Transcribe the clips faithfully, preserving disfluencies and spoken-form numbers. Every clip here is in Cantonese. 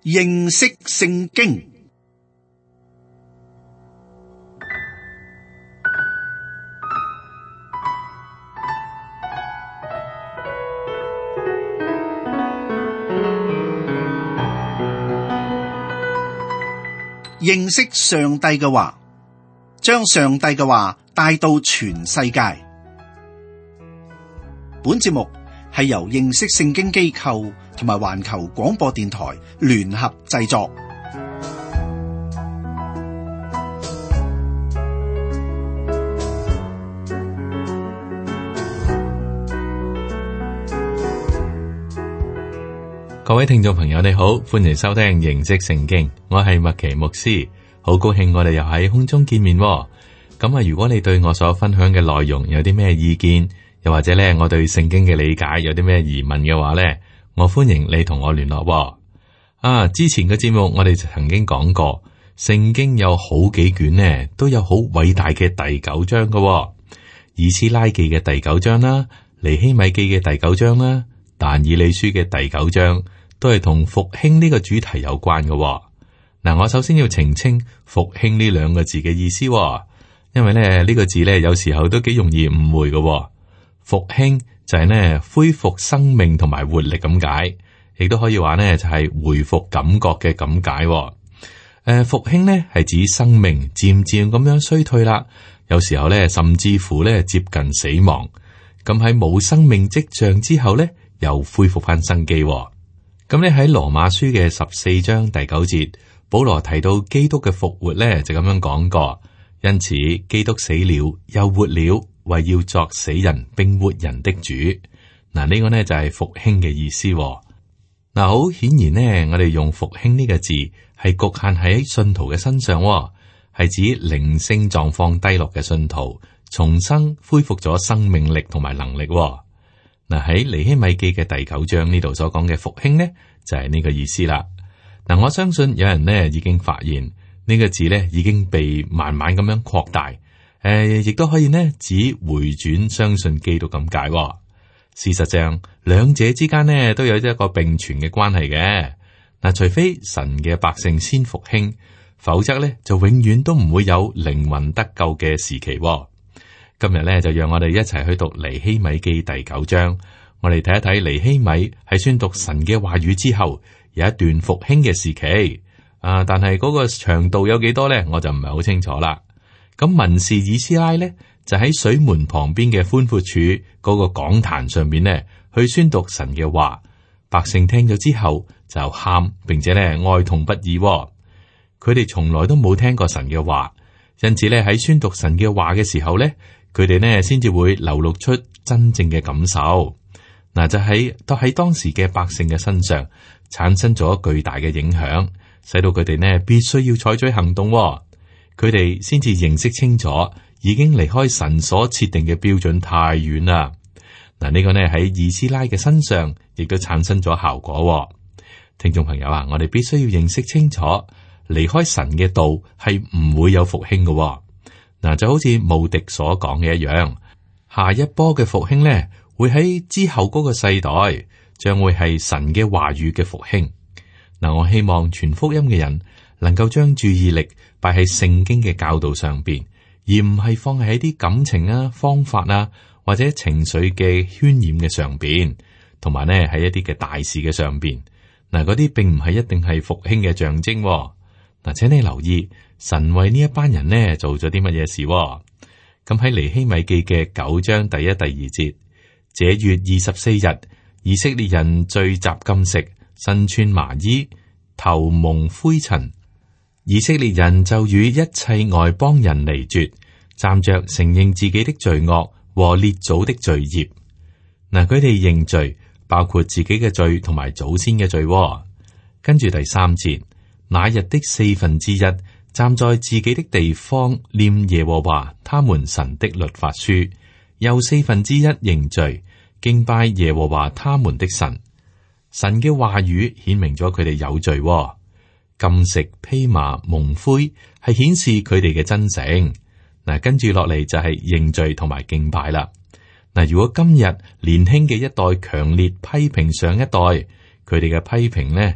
認識聖經。認識上帝嘅話，將上帝嘅話帶到全世界。本節目係由認識聖經機構同埋環球廣播電台聯合製作。各位聽眾朋友，你好，歡迎收聽認識聖經，我係麥奇牧師，好高興我哋又喺空中見面。咁啊，如果你對我所分享嘅內容有啲咩意見，又或者咧我對聖經嘅理解有啲咩疑問嘅話咧，我歡迎你同我聯絡。啊，之前嘅節目我哋曾經講過，聖經有好幾卷呢，都有好偉大嘅第九章嘅，以斯拉記嘅第九章啦，尼希米記嘅第九章啦，但以理書嘅第九章。都係同復興呢個主題有關嘅。嗱、啊，我首先要澄清復興呢兩個字嘅意思，因為咧呢、呢個字咧有時候都幾容易誤會嘅。復興就係呢恢復生命同埋活力咁解，亦都可以話呢就係恢復感覺嘅咁解。誒、呃，復興呢係指生命漸漸咁樣衰退啦，有時候咧甚至乎咧接近死亡，咁喺冇生命跡象之後咧又恢復翻生機。咁咧喺羅馬書嘅十四章第九節，保羅提到基督嘅復活咧，就咁樣講過。因此，基督死了又活了，為要作死人並活人的主。嗱，呢個呢就係復興嘅意思。嗱，好顯然呢，我哋用復興呢個字係局限喺信徒嘅身上，係指靈性狀況低落嘅信徒重新恢復咗生命力同埋能力。嗱，喺尼希米記嘅第九章呢度所講嘅復興呢，就係呢個意思啦。嗱，我相信有人呢已經發現呢個字呢已經被慢慢咁樣擴大，誒，亦都可以呢指回轉相信基督咁解。事實上，兩者之間呢都有一個並存嘅關係嘅。嗱，除非神嘅百姓先復興，否則呢就永遠都唔會有靈魂得救嘅時期。今日咧就讓我哋一齊去讀尼希米記第九章，我哋睇一睇尼希米喺宣讀神嘅話語之後，有一段復興嘅時期。啊，但係嗰個長度有幾多咧，我就唔係好清楚啦。咁文士以斯拉咧就喺水門旁邊嘅寬闊處嗰個講壇上邊咧去宣讀神嘅話，百姓聽咗之後就喊，並且咧哀痛不已。佢哋從來都冇聽過神嘅話，因此咧喺宣讀神嘅話嘅時候咧。佢哋呢先至會流露出真正嘅感受，嗱，就喺都喺當時嘅百姓嘅身上產生咗巨大嘅影響，使到佢哋呢必須要採取行動。佢哋先至認識清楚，已經離開神所設定嘅標準太遠啦。嗱，呢個呢喺以斯拉嘅身上亦都產生咗效果。聽眾朋友啊，我哋必須要認識清楚，離開神嘅道係唔會有復興嘅。嗱，就好似慕迪所講嘅一樣，下一波嘅復興咧，會喺之後嗰個世代，將會係神嘅話語嘅復興。嗱，我希望傳福音嘅人能夠將注意力擺喺聖經嘅教導上邊，而唔係放喺啲感情啊、方法啊或者情緒嘅渲染嘅上邊，同埋咧喺一啲嘅大事嘅上邊。嗱，嗰啲並唔係一定係復興嘅象徵。嗱，請你留意神為呢一班人呢做咗啲乜嘢事？咁喺尼希米記嘅九章第一、第二節，這月二十四日，以色列人聚集禁食，身穿麻衣，頭蒙灰塵。以色列人就與一切外邦人離絕，站着承認自己的罪惡和列祖的罪孽。嗱，佢哋認罪，包括自己嘅罪同埋祖先嘅罪。跟住第三節。那日的四分之一站在自己的地方念耶和華他們神的律法書，又四分之一認罪敬拜耶和華他們的神。神嘅話語顯明咗佢哋有罪。禁食披麻蒙灰係顯示佢哋嘅真誠。嗱，跟住落嚟就係認罪同埋敬拜啦。嗱，如果今日年輕嘅一代強烈批評上一代，佢哋嘅批評呢，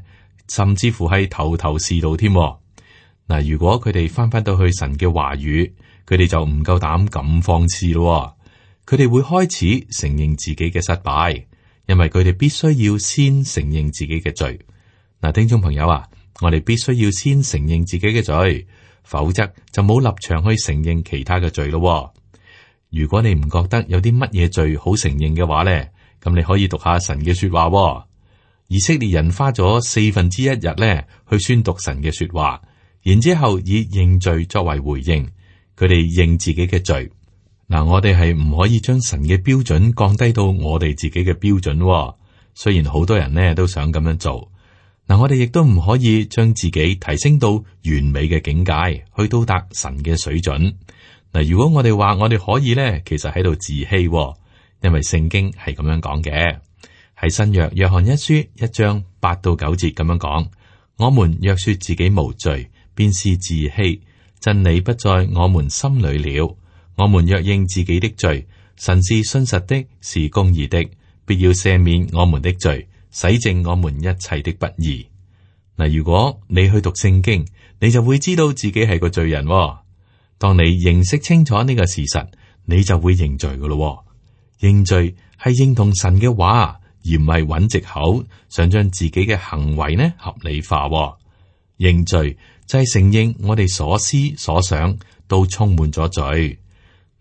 甚至乎係頭頭是道添。嗱，如果佢哋翻返到去神嘅話語，佢哋就唔夠膽咁放肆咯。佢哋會開始承認自己嘅失敗，因為佢哋必須要先承認自己嘅罪。嗱，聽眾朋友啊，我哋必須要先承認自己嘅罪，否則就冇立場去承認其他嘅罪咯。如果你唔覺得有啲乜嘢罪好承認嘅話咧，咁你可以讀下神嘅說話。以色列人花咗四分之一日咧去宣讀神嘅說話，然之後以認罪作為回應，佢哋認自己嘅罪。嗱，我哋係唔可以將神嘅標準降低到我哋自己嘅標準。雖然好多人呢都想咁樣做，嗱，我哋亦都唔可以將自己提升到完美嘅境界，去到達神嘅水準。嗱，如果我哋話我哋可以呢，其實喺度自欺，因為聖經係咁樣講嘅，喺新約約翰一書一章八到九節咁樣講：我們若說自己無罪，便是自欺，真理不在我們心裏了。我們若認自己的罪，神是信實的，是公義的，必要赦免我們的罪，洗淨我們一切的不義。嗱，如果你去讀聖經，你就會知道自己係個罪人。當你認識清楚呢個事實，你就會認罪噶咯。認罪係認同神嘅話，而唔係揾藉口，想將自己嘅行為呢合理化。認罪就係承認我哋所思所想都充滿咗罪。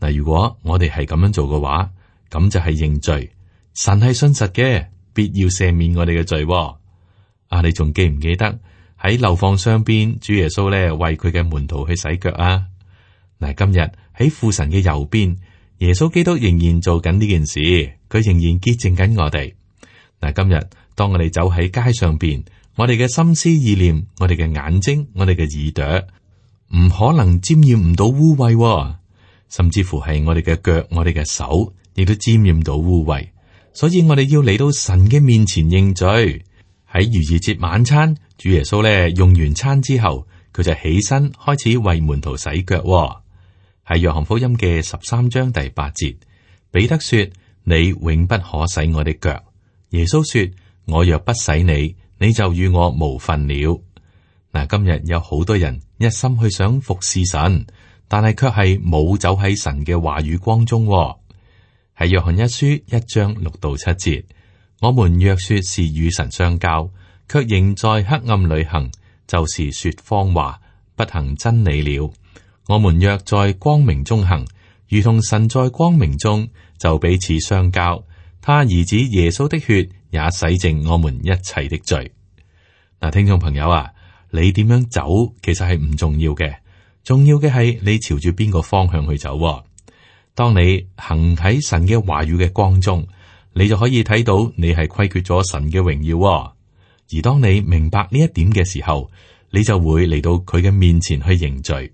嗱，如果我哋係咁樣做嘅話，咁就係認罪。神係信實嘅，必要赦免我哋嘅罪。啊，你仲記唔記得喺樓房上邊，主耶穌咧為佢嘅門徒去洗腳啊？嗱，今日喺父神嘅右邊，耶穌基督仍然做緊呢件事，佢仍然潔淨緊我哋。嗱，今日當我哋走喺街上邊，我哋嘅心思意念，我哋嘅眼睛，我哋嘅耳朵，唔可能沾染唔到污穢。甚至乎係我哋嘅腳，我哋嘅手，亦都沾染到污穢，所以我哋要嚟到神嘅面前認罪。喺逾越節晚餐，主耶穌咧用完餐之後，佢就起身開始為門徒洗腳。喺約翰福音嘅十三章第八節，彼得說：你永不可洗我的腳。耶穌說：我若不洗你，你就與我無分了。嗱，今日有好多人一心去想服侍神，但係卻係冇走喺神嘅話語光中。喺約翰一書一章六到七節，我們若說是與神相交，卻仍在黑暗裏行，就是說謊話，不行真理了。我們若在光明中行，如同神在光明中，就彼此相交。他兒子耶穌的血也洗淨我們一切的罪。嗱，聽眾朋友啊，你點樣走其實係唔重要嘅。重要嘅係你朝住邊個方向去走。當你行喺神嘅話語嘅光中，你就可以睇到你係虧缺咗神嘅榮耀。而當你明白呢一點嘅時候，你就會嚟到佢嘅面前去認罪。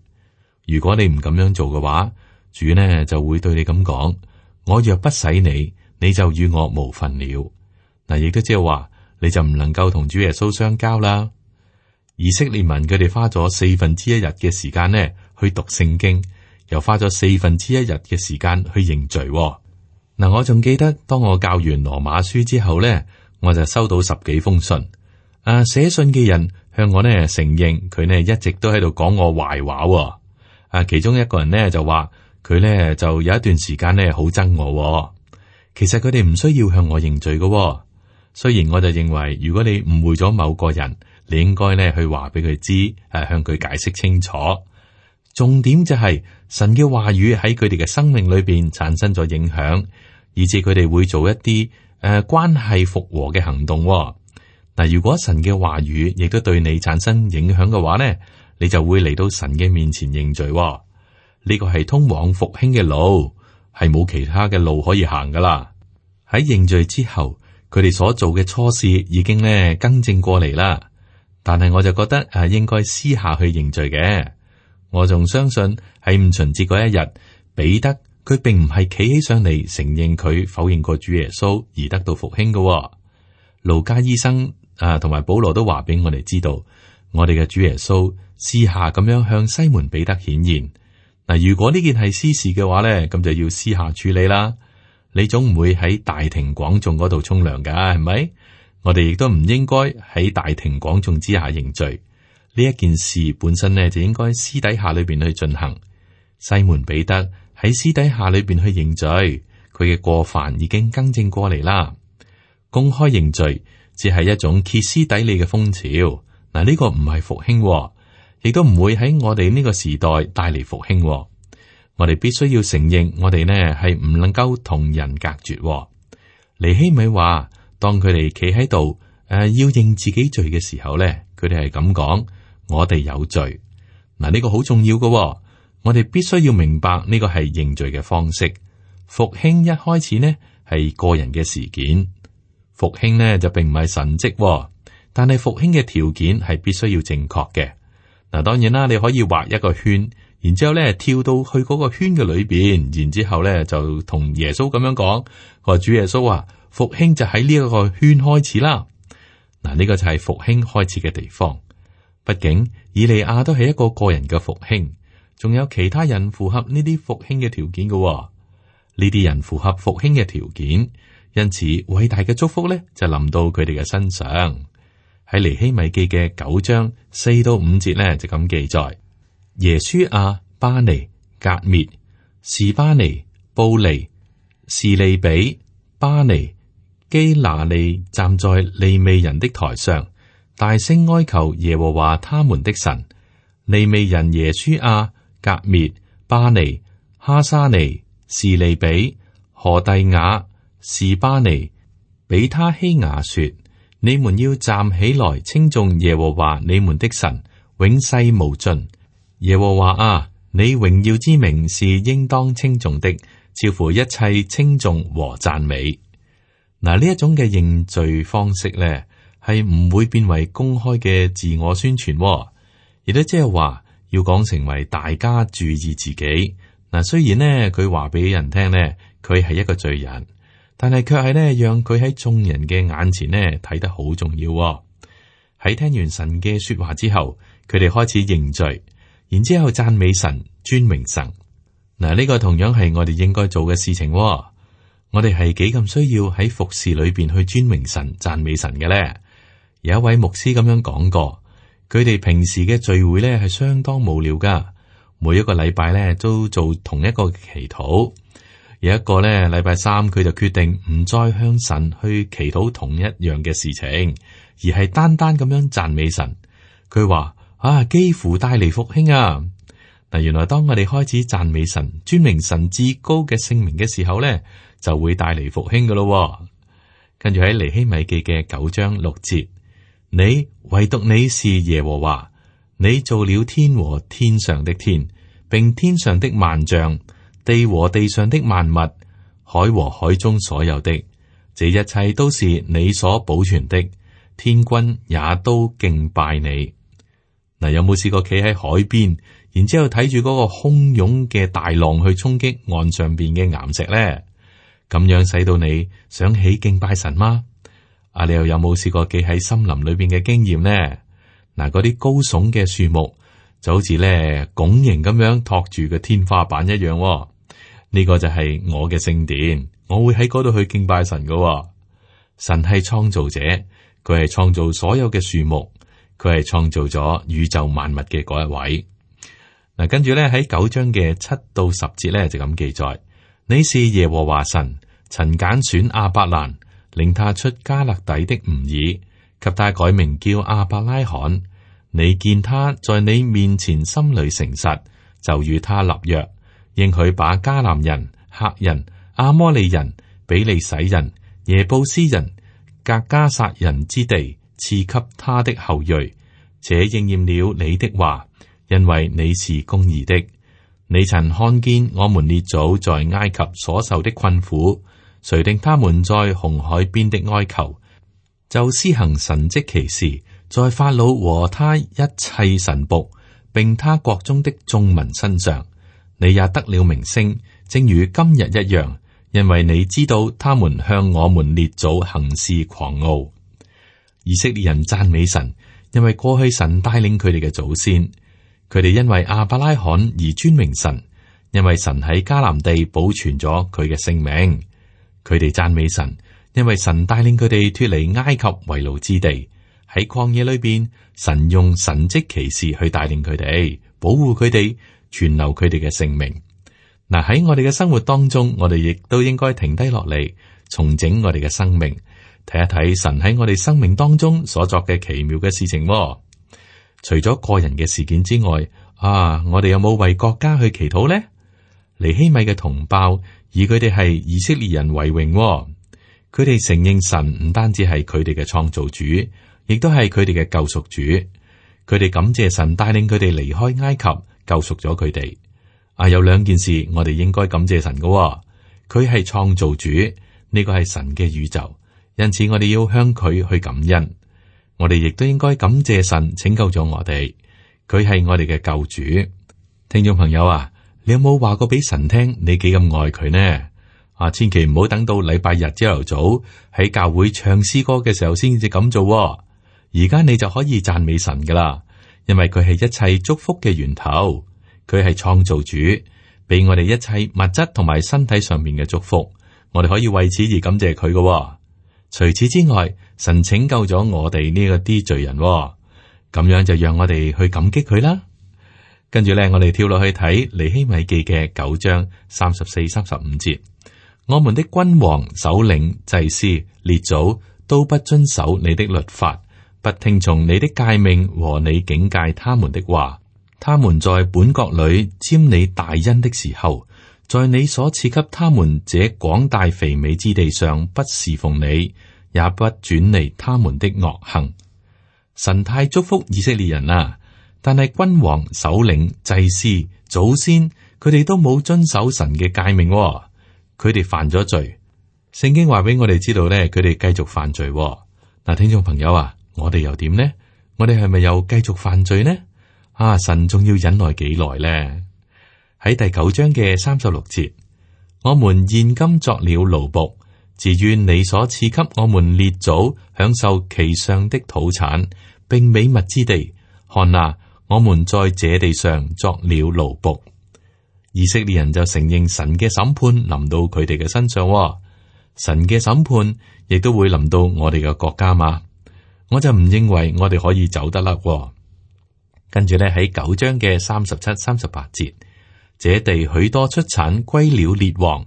如果你唔咁樣做嘅話，主呢就會對你咁講：我若不洗你，你就與我無分了。嗱，亦都即係話，你就唔能夠同主耶穌相交啦。以色列民佢哋花咗四分之一日嘅時間呢去讀聖經，又花咗四分之一日嘅時間去認罪。嗱，我仲記得當我教完羅馬書之後呢，我就收到十幾封信。啊，寫信嘅人向我呢承認佢呢一直都喺度講我壞話。啊，其中一個人呢就話佢呢就有一段時間呢好憎我。其實佢哋唔需要向我認罪嘅。雖然我就認為，如果你誤會咗某個人，你應該咧去話俾佢知，誒，向佢解釋清楚。重點就係神嘅話語喺佢哋嘅生命裏邊產生咗影響，以致佢哋會做一啲誒、呃、關係復和嘅行動。嗱，如果神嘅話語亦都對你產生影響嘅話呢，你就會嚟到神嘅面前認罪。呢個係通往復興嘅路，係冇其他嘅路可以行噶啦。喺認罪之後，佢哋所做嘅錯事已經咧更正過嚟啦。但係我就覺得誒，應該私下去認罪嘅。我仲相信喺五旬節嗰一日，彼得佢並唔係企起上嚟承認佢否認過主耶穌而得到復興嘅。路加醫生啊，同埋保羅都話俾我哋知道，我哋嘅主耶穌私下咁樣向西門彼得顯現。嗱，如果呢件係私事嘅話咧，咁就要私下處理啦。你總唔會喺大庭廣眾嗰度沖涼噶，係咪？我哋亦都唔應該喺大庭廣眾之下認罪。呢一件事本身呢，就應該私底下裏邊去進行。西門彼得喺私底下裏邊去認罪，佢嘅過犯已經更正過嚟啦。公開認罪只係一種歇斯底里嘅風潮。嗱，呢個唔係復興，亦都唔會喺我哋呢個時代帶嚟復興。我哋必須要承認，我哋呢係唔能夠同人隔絕。尼希米話，當佢哋企喺度誒，要認自己罪嘅時候咧，佢哋係咁講：我哋有罪。嗱，呢個好重要嘅。我哋必須要明白呢個係認罪嘅方式。復興一開始呢係個人嘅事件，復興呢就並唔係神蹟，但係復興嘅條件係必須要正確嘅。嗱，當然啦，你可以畫一個圈，然之後咧跳到去嗰個圈嘅裏邊，然之後咧就同耶穌咁樣講：話主耶穌啊，復興就喺呢一個圈開始啦。嗱，呢個就係復興開始嘅地方。畢竟以利亞都係一個個人嘅復興。仲有其他人符合呢啲復興嘅條件嘅、哦，呢啲人符合復興嘅條件，因此偉大嘅祝福咧就臨到佢哋嘅身上。喺尼希米記嘅九章四到五節咧就咁記載：耶書亞、巴尼、革滅、士巴尼、布尼、士利比、巴尼、基拿利站在利未人的台上，大聲哀求耶和華他們的神。利未人耶書亞、革滅、巴尼、哈沙尼、士利比、何第雅、士巴尼、比他希雅說：你們要站起來稱頌耶和華你們的神，永世無盡。耶和華啊，你榮耀之名是應當稱頌的，超乎一切稱頌和讚美。嗱，呢一種嘅認罪方式咧，係唔會變為公開嘅自我宣傳、哦，亦都即係話。要講成為大家注意自己嗱，雖然呢，佢話俾人聽呢，佢係一個罪人，但係卻係呢，讓佢喺眾人嘅眼前呢睇得好重要、哦。喺聽完神嘅說話之後，佢哋開始認罪，然之後讚美神、尊榮神。嗱，呢個同樣係我哋應該做嘅事情、哦。我哋係幾咁需要喺服侍裏邊去尊榮神、讚美神嘅咧？有一位牧師咁樣講過。佢哋平時嘅聚會咧係相當無聊噶，每一個禮拜咧都做同一個祈禱。有一個咧禮拜三，佢就決定唔再向神去祈禱同一樣嘅事情，而係單單咁樣讚美神。佢話啊，幾乎帶嚟復興啊！嗱，原來當我哋開始讚美神、尊榮神至高嘅聖名嘅時候咧，就會帶嚟復興噶咯。跟住喺尼希米記嘅九章六節。你唯獨你是耶和華，你造了天和天上的天，並天上的萬象，地和地上的萬物，海和海中所有的，這一切都是你所保存的，天軍也都敬拜你。嗱，有冇試過企喺海邊，然之後睇住嗰個洶湧嘅大浪去衝擊岸上邊嘅岩石咧？咁樣使到你想起敬拜神嗎？啊！你又有冇試過企喺森林裏邊嘅經驗呢？嗱，嗰啲高聳嘅樹木就好似咧拱形咁樣托住個天花板一樣、哦。呢、這個就係我嘅聖殿，我會喺嗰度去敬拜神噶、哦。神係創造者，佢係創造所有嘅樹木，佢係創造咗宇宙萬物嘅嗰一位。嗱，跟住咧喺九章嘅七到十節咧就咁記載：你是耶和華神，曾揀選亞伯蘭。令他出加勒底的吾爾，給他改名叫亞伯拉罕。你見他在你面前心裏誠實，就與他立約，應許把迦南人、赫人、阿摩利人、比利洗人、耶布斯人、格迦撒人之地賜給他的後裔。這應驗了你的話，因為你是公義的。你曾看見我們列祖在埃及所受的困苦。誰令他們在紅海邊的哀求，就施行神蹟奇事，在法老和他一切臣僕，並他國中的眾民身上。你也得了名聲，正如今日一樣，因為你知道他們向我們列祖行事狂傲。以色列人讚美神，因為過去神帶領佢哋嘅祖先，佢哋因為亞伯拉罕而尊榮神，因為神喺迦南地保存咗佢嘅性命。佢哋讚美神，因為神帶領佢哋脫離埃及為奴之地，喺曠野裏邊，神用神蹟奇事去帶領佢哋，保護佢哋，存留佢哋嘅性命。嗱，喺我哋嘅生活當中，我哋亦都應該停低落嚟，重整我哋嘅生命，睇一睇神喺我哋生命當中所作嘅奇妙嘅事情。除咗個人嘅事件之外，啊，我哋有冇為國家去祈禱呢？尼希米嘅同胞以佢哋係以色列人為榮，佢哋承認神唔單止係佢哋嘅創造主，亦都係佢哋嘅救贖主。佢哋感謝神帶領佢哋離開埃及，救贖咗佢哋。啊，有兩件事我哋應該感謝神嘅，佢係創造主，呢個係神嘅宇宙，因此我哋要向佢去感恩。我哋亦都應該感謝神拯救咗我哋，佢係我哋嘅救主。聽眾朋友啊，你有冇話過俾神聽你幾咁愛佢呢？啊，千祈唔好等到禮拜日朝頭早喺教會唱詩歌嘅時候先至咁做。而家你就可以讚美神噶啦，因為佢係一切祝福嘅源頭，佢係創造主，俾我哋一切物質同埋身體上面嘅祝福，我哋可以為此而感謝佢噶。除此之外，神拯救咗我哋呢個啲罪人，咁樣就讓我哋去感激佢啦。跟住咧，我哋跳落去睇尼希米記嘅九章三十四、三十五節。我們的君王、首領、祭司、列祖都不遵守你的律法，不聽從你的誡命和你警戒他們的話。他們在本國裏沾你大恩的時候，在你所賜給他們這廣大肥美之地上，不侍奉你，也不轉離他們的惡行。神太祝福以色列人啦，但係君王、首領、祭司、祖先，佢哋都冇遵守神嘅誡命，佢哋犯咗罪。聖經話俾我哋知道咧，佢哋繼續犯罪。嗱，聽眾朋友啊，我哋又點呢？我哋係咪又繼續犯罪呢？啊，神仲要忍耐幾耐呢？喺第九章嘅三十六節，我們現今作了奴僕，自願你所賜給我們列祖享受其上的土產，並美物之地。看哪，我們在這地上作了奴僕。以色列人就承認神嘅審判臨到佢哋嘅身上，神嘅審判亦都會臨到我哋嘅國家嘛。我就唔認為我哋可以走得甩。跟住咧，喺九章嘅三十七、三十八節，這地許多出產歸了列王，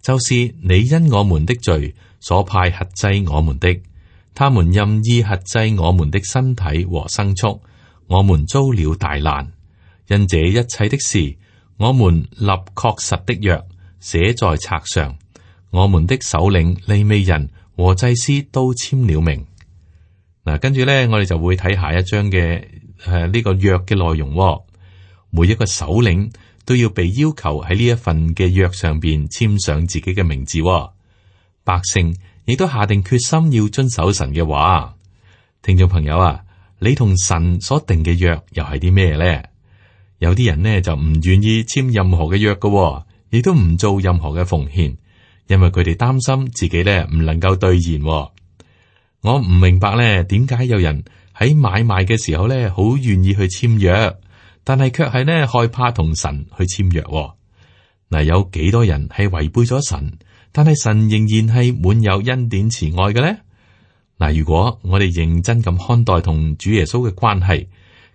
就是你因我們的罪所派轄制我們的，他們任意轄制我們的身體和牲畜，我們遭了大難。因這一切的事，我們立確實的約，寫在冊上，我們的首領、利未人和祭司都簽了名。嗱，跟住咧，我哋就會睇下一章嘅誒呢個約嘅內容。每一個首領都要被要求喺呢一份嘅約上邊簽上自己嘅名字。百姓亦都下定決心要遵守神嘅話。聽眾朋友啊，你同神所定嘅約又係啲咩咧？有啲人呢就唔願意簽任何嘅約嘅，亦都唔做任何嘅奉獻，因為佢哋擔心自己咧唔能夠兌現。我唔明白咧，點解有人喺買賣嘅時候咧，好願意去簽約，但係卻係咧害怕同神去簽約。嗱，有幾多人係違背咗神，但係神仍然係滿有恩典慈愛嘅咧？嗱，如果我哋認真咁看待同主耶穌嘅關係，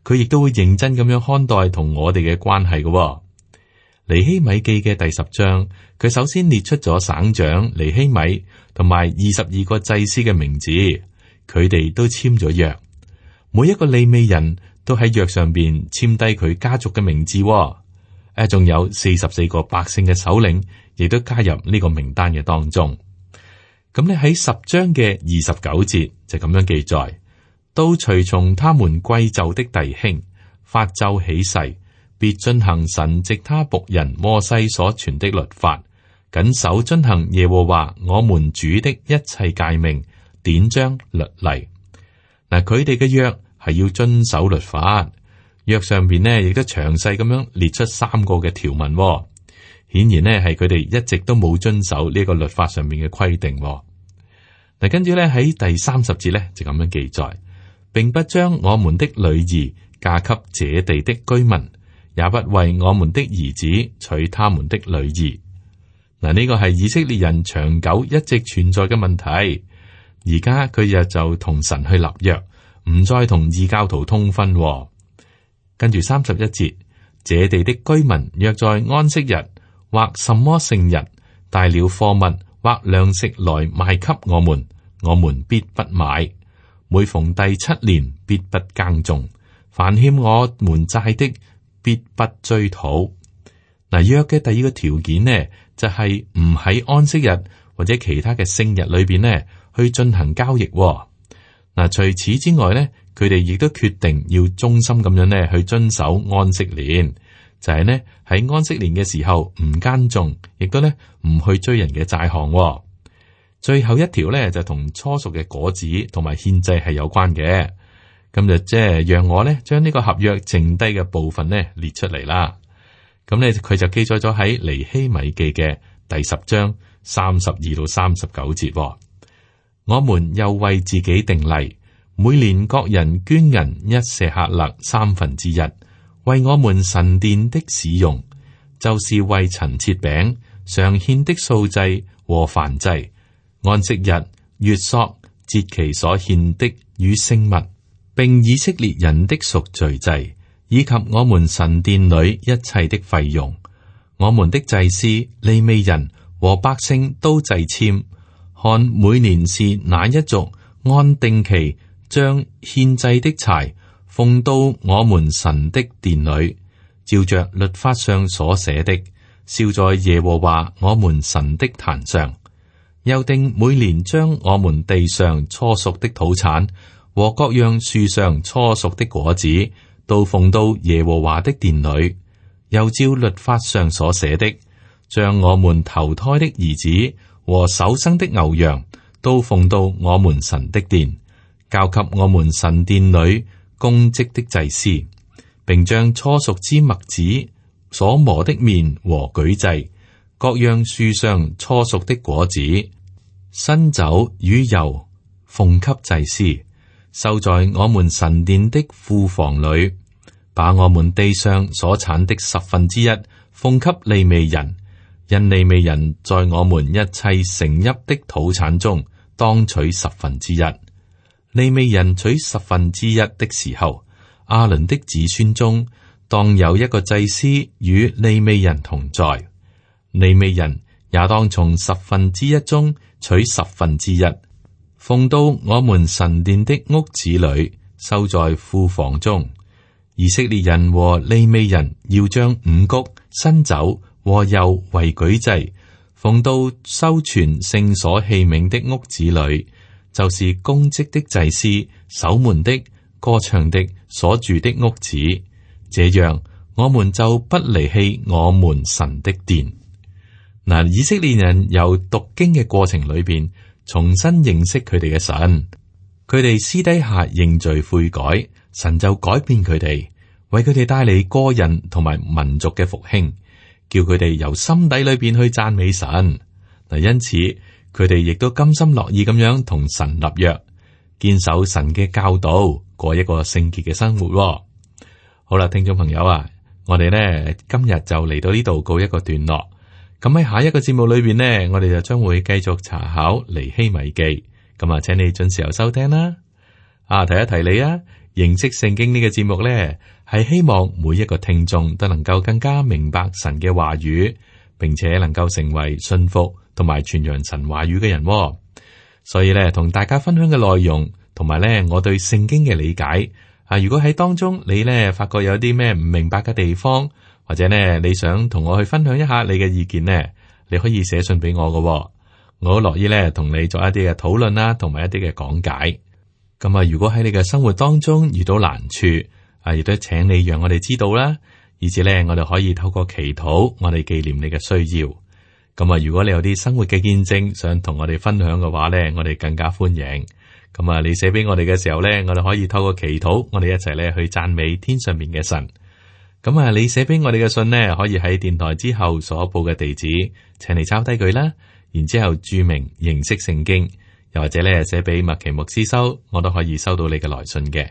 佢亦都會認真咁樣看待同我哋嘅關係嘅。尼希米記嘅第十章，佢首先列出咗省長尼希米同埋二十二個祭司嘅名字，佢哋都簽咗約。每一個利未人都喺約上邊簽低佢家族嘅名字。誒，仲有四十四個百姓嘅首領，亦都加入呢個名單嘅當中。咁你喺十章嘅二十九節就咁樣記載，都隨從他們貴胄的弟兄發咒起誓，必遵行神藉他僕人摩西所傳的律法，謹守遵行耶和華我們主的一切誡命、典章、律例。嗱，佢哋嘅約係要遵守律法，約上邊呢亦都詳細咁樣列出三個嘅條文。顯然呢係佢哋一直都冇遵守呢個律法上面嘅規定。嗱，跟住咧喺第三十節咧就咁樣記載，並不將我們的女兒嫁給這地的居民，也不為我們的兒子娶他們的女兒。嗱，呢個係以色列人長久一直存在嘅問題。而家佢又就同神去立約，唔再同異教徒通婚。跟住三十一節，這地的居民若在安息日或什麼聖日帶了貨物或糧食來賣給我們，我們必不買。每逢第七年，必不耕種。凡欠我們債的，必不追討。嗱，約嘅第二個條件呢，就係唔喺安息日或者其他嘅聖日裏邊呢去進行交易。嗱，除此之外呢，佢哋亦都決定要忠心咁樣呢去遵守安息年，就係呢喺安息年嘅時候唔耕種，亦都呢唔去追人嘅債項。最後一條呢，就同初熟嘅果子同埋獻祭係有關嘅。咁就即係讓我呢將呢個合約剩低嘅部分呢列出嚟啦。咁呢，佢就記載咗喺尼希米記嘅第十章三十二到三十九節。我們又為自己定例，每年各人捐銀一舍客勒三分之一，為我們神殿的使用，就是為陳設餅、常獻的素祭和燔祭、安息日、月朔、節期所獻的與聖物，並以色列人的贖罪祭，以及我們神殿裏一切的費用。我們的祭司、利未人和百姓都掣籤，看每年是哪一族按定期將獻祭的柴奉到我們神的殿裏，照着律法上所寫的，燒在耶和華我們神的壇上。又定每年將我們地上初熟的土產和各樣樹上初熟的果子都奉到耶和華的殿裏，又照律法上所寫的，將我們頭胎的兒子和首生的牛羊都奉到我們神的殿，交給我們神殿裏供職的祭司，並將初熟之麥子、所磨的麵和舉祭、各樣樹上初熟的果子、新酒與油奉給祭司，收在我們神殿的庫房裏，把我們地上所產的十分之一奉給利未人。因利未人在我們一切成邑的土產中當取十分之一。利未人取十分之一的時候，亞倫的子孫中當有一個祭司與利未人同在。利未人也當從十分之一中取十分之一，奉到我們神殿的屋子裏，收在庫房中。以色列人和利未人要將五穀、新酒和油為舉祭，奉到收存聖所器皿的屋子裏，就是公職的祭司、守門的、歌唱的所住的屋子。這樣，我們就不離棄我們神的殿。嗱，以色列人由讀經嘅過程裏邊，重新認識佢哋嘅神。佢哋私底下認罪悔改，神就改變佢哋，為佢哋帶嚟個人同埋民族嘅復興。叫佢哋由心底裏邊去讚美神嗱，因此佢哋亦都甘心樂意咁樣同神立約，堅守神嘅教導，過一個聖潔嘅生活。好啦，聽眾朋友啊，我哋呢今日就嚟到呢度告一個段落。咁喺下一個節目裏邊呢，我哋就將會繼續查考尼希米記。咁啊，請你準時候收聽啦。啊，提一提你啊，認識聖經呢個節目呢，係希望每一個聽眾都能夠更加明白神嘅話語，並且能夠成為信服同埋傳揚神話語嘅人。所以咧，同大家分享嘅內容，同埋咧我對聖經嘅理解啊，如果喺當中你咧發覺有啲咩唔明白嘅地方，或者咧你想同我去分享一下你嘅意見呢，你可以寫信俾我嘅，我好樂意咧同你做一啲嘅討論啦，同埋一啲嘅講解。咁啊，如果喺你嘅生活當中遇到難處，啊，亦都請你讓我哋知道啦，以至咧我哋可以透過祈禱，我哋紀念你嘅需要。咁啊，如果你有啲生活嘅見證想同我哋分享嘅話咧，我哋更加歡迎。咁啊，你寫俾我哋嘅時候咧，我哋可以透過祈禱，我哋一齊咧去讚美天上面嘅神。咁啊，你寫俾我哋嘅信呢，可以喺電台之後所報嘅地址，請你抄低佢啦，然之後注明認識聖經。又或者咧寫俾麥奇牧師收，我都可以收到你嘅來信嘅，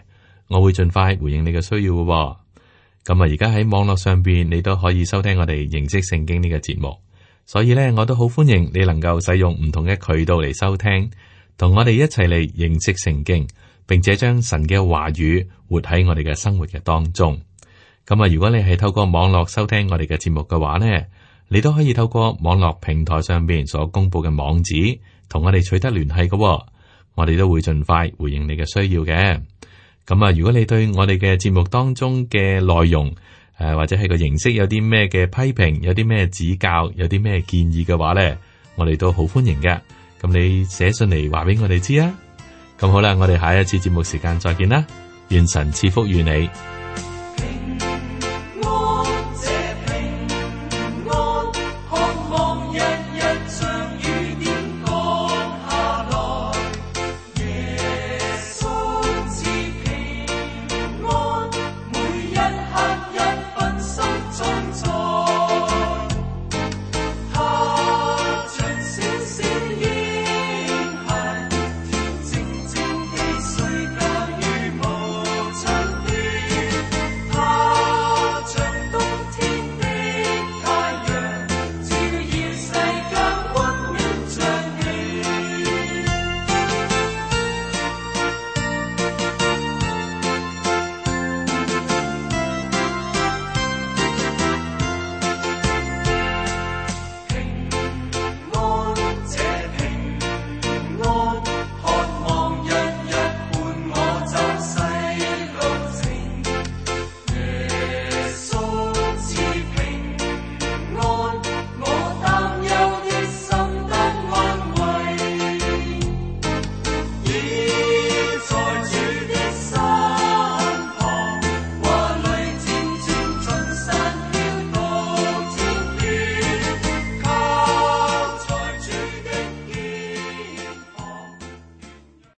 我會盡快回應你嘅需要嘅、哦。咁啊，而家喺網絡上邊，你都可以收聽我哋認識聖經呢個節目，所以咧，我都好歡迎你能夠使用唔同嘅渠道嚟收聽，同我哋一齊嚟認識聖經，並且將神嘅話語活喺我哋嘅生活嘅當中。咁啊，如果你係透過網絡收聽我哋嘅節目嘅話呢，你都可以透過網絡平台上邊所公布嘅網址，同我哋取得聯繫嘅。我哋都會盡快回應你嘅需要嘅。咁啊，如果你對我哋嘅節目當中嘅內容，誒、呃，或者係個形式有啲咩嘅批評，有啲咩指教，有啲咩建議嘅話咧，我哋都好歡迎嘅。咁你寫信嚟話俾我哋知啊。咁好啦，我哋下一次節目時間再見啦。願神賜福於你。